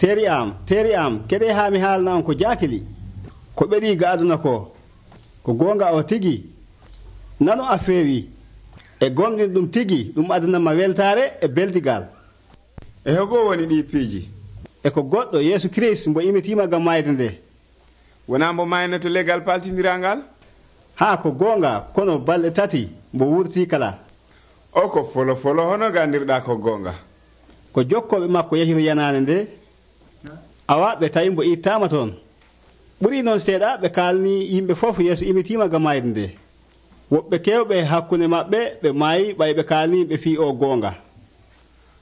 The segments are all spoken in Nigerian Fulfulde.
teeri am keɗe haa mi haalna on ko jaakili ko ɓeɗii ga aduna ko goonga o tigi nanu a feewi e gomɗin ɗum tigi ɗum adanama weltaare e beldigal. E hogo woni ɗi piiji? E ko goɗɗo Yeesu Kirist mbo imitiima gam mayde nde. Wonaa mbo mayno to legal paltindirangal? Haa ko goonga, kono balɗe 3 mbo wurtii kala. O ko folo hono gandirɗaa ko goonga? Ko jokkooɓe makko yahiro yanaande nde, awa ɓe tawi mbo ittaama toon. ɓurii noon seeɗa ɓe kaalni yimɓe fof Yeesu imitiima gam mayde nde. Woɓɓe keewɓe hakkunde maɓɓe ɓe maayi ɓay ɓe kaalni ɓe fii o goonga.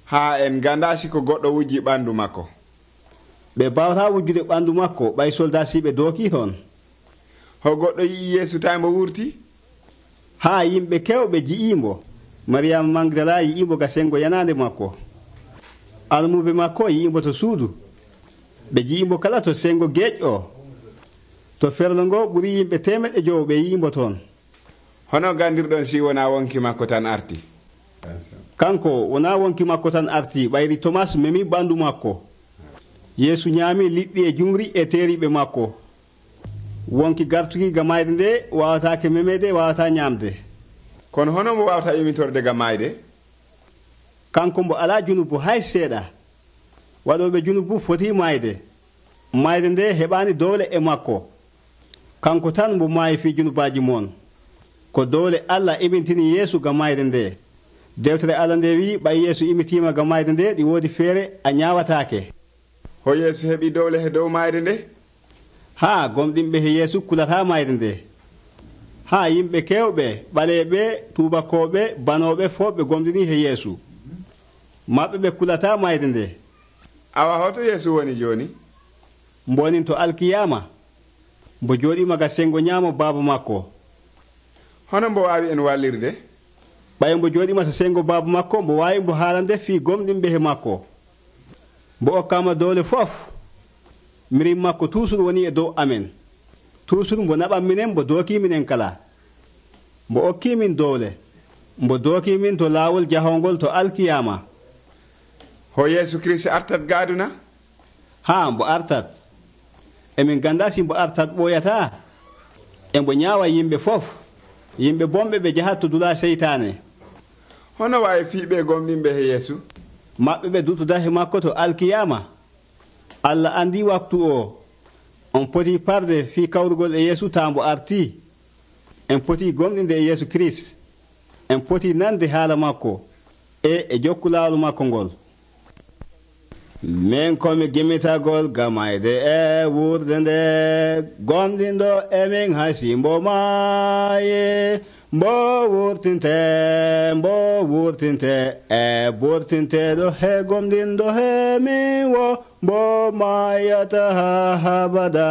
Haa en gandaa siko goɗɗo wujji ɓanndu makko. Ɓe baawataa wujjude ɓanndu makko ɓay soldasiiɓe dookii toon. Ho goɗɗo yi'i Yeesu tawi mbo wurti? Haa yimɓe keewɓe ji'iimbo. Mariyama Magdala yi'iimbo ga sengo yanaande makko. Almuɓe makko yi'iimbo to suudu. Ɓe ji'iimbo kala to sengo geeƴ o. To ferlo ngo ɓuri yimɓe 500 ɓe yi'iimbo toon. Hono gandirɗon si wonaa wonki makko tan arti? Kanko wonaa wonki makko tan arti, ɓayri Tomas memi ɓanndu makko. Yeesu ñaami liɗɗi e jumri e teeriiɓe makko. Wonki gartuki ga mayde nde wawataake memede, wawata ñaamde. Kono hono mbo wawata imitorde ga mayde? Kanko mbo alaa junubu hay seeɗa. Waɗooɓe junubu foti mayde. Mayde nde heɓaani dowle e makko. Kanko tan mbo maayi fii junubaaji moon. Ko dowle Allah imintini Yeesu ga mayde nde. Dewtere Allah nde wi ɓay Yeesu imitiima ga mayde nde ɗi woodi feere a ñaawataake. Ho Yeesu heɓi dowle he dow mayde nde? Haa gomɗinɓe he Yeesu kulataa mayde nde. Haa yimɓe keewɓe ɓaleeɓe tuubakooɓe banooɓe fof ɓe gomɗinii he Yeesu. Maɓɓe ɓe kulataa mayde nde. Awa hoto Yeesu woni jooni? Mbonin to alkiyama mbo jooɗiima ga sengo ñaamo baaba makko. Hono mbo waawi en wallirde? ɓay mbo jooɗiima to sengo baaba makko mbo waawi mbo haalande fii gomɗinɓe he makko. Mbo okkaama dowle fof. Mirim makko toujours woni e dow amen. Toujours mbo naɓan minen mbo dookii minen kala. Mbo okkii min dowle. Mbo dookii min to laawol jahongol to alkiyama. Ho Yeesu Kirist artat gaaduna? Haa mbo artat. Emin ganda si mbo artat ɓooyataa. E mbo ñaawa yimɓe fof. Yimɓe bomɓe ɓe jahat to dula seytaane. Hono waawi fiiɓe gomɗinɓe he Yeesu? Maɓɓe ɓe dutuda he makko to alkiyama. Allah andi waktu o. On poti parde fii kawrugol e Yeesu taa mbo artii. En poti gomɗinde e Yeesu Kirist. En poti nande haala makko e jokku laawol makko ngol. Min komi gimmitagol gamayde e wurde nde gomɗinɗo emin hasi mbo maaye mbo wurtinte e burtinteɗo he gomɗinɗo he min wo mbo mayata ha habada